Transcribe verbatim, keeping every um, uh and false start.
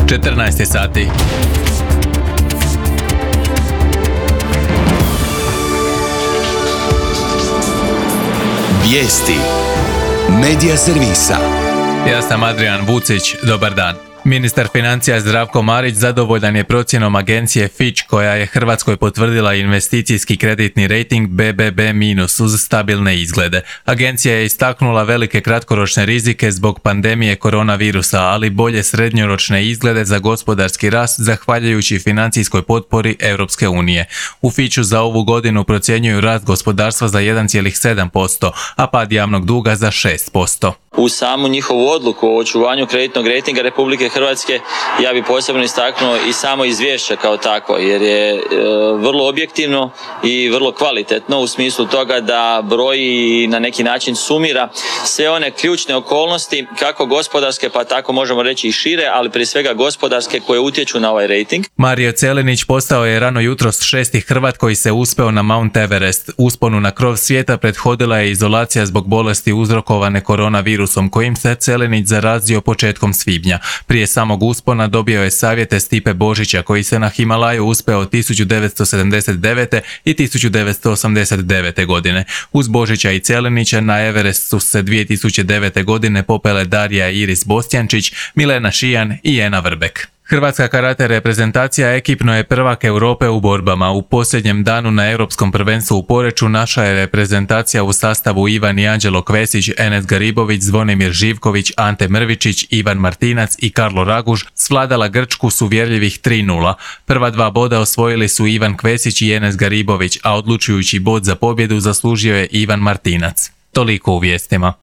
četrnaest sati. Vijesti Medija servisa. Ja sam Adrian Vucić, dobar dan. Ministar financija Zdravko Marić zadovoljan je procjenom agencije Fitch koja je Hrvatskoj potvrdila investicijski kreditni rejting be be be minus uz stabilne izglede. Agencija je istaknula velike kratkoročne rizike zbog pandemije koronavirusa, ali bolje srednjoročne izglede za gospodarski rast zahvaljujući financijskoj potpori Europske unije. U Fitchu za ovu godinu procjenjuju rast gospodarstva za jedan zarez sedam posto, a pad javnog duga za šest posto. U samu njihovu odluku o očuvanju kreditnog rejtinga Republike Hrvatske ja bih posebno istaknuo i samo izvješće kao takvo, jer je e, vrlo objektivno i vrlo kvalitetno u smislu toga da broji i na neki način sumira sve one ključne okolnosti kako gospodarske pa tako možemo reći i šire, ali prije svega gospodarske koje utječu na ovaj rejting. Mario Celinić postao je rano jutros šesti Hrvat koji se uspeo na Mount Everest. Usponu na krov svijeta prethodila je izolacija zbog bolesti uzrokovane koronavirusom kojim se Celinić zarazio početkom svibnja. Prije samog uspona dobio je savjete Stipe Božića koji se na Himalaju uspeo tisuću devetsto sedamdeset devete. i tisuću devetsto osamdeset devete. godine. Uz Božića i Celinića na Everest su se dvije tisuće devete. godine popele Darija Iris Bostjančić, Milena Šijan i Ena Vrbek. Hrvatska karate reprezentacija ekipno je prvak Europe u borbama. U posljednjem danu na Europskom prvenstvu u Poreču naša je reprezentacija u sastavu Ivan i Anđelo Kvesić, Enes Garibović, Zvonimir Živković, Ante Mrvičić, Ivan Martinac i Karlo Raguž svladala Grčku s uvjerljivih tri nula. Prva dva boda osvojili su Ivan Kvesić i Enes Garibović, a odlučujući bod za pobjedu zaslužio je Ivan Martinac. Toliko u vijestima.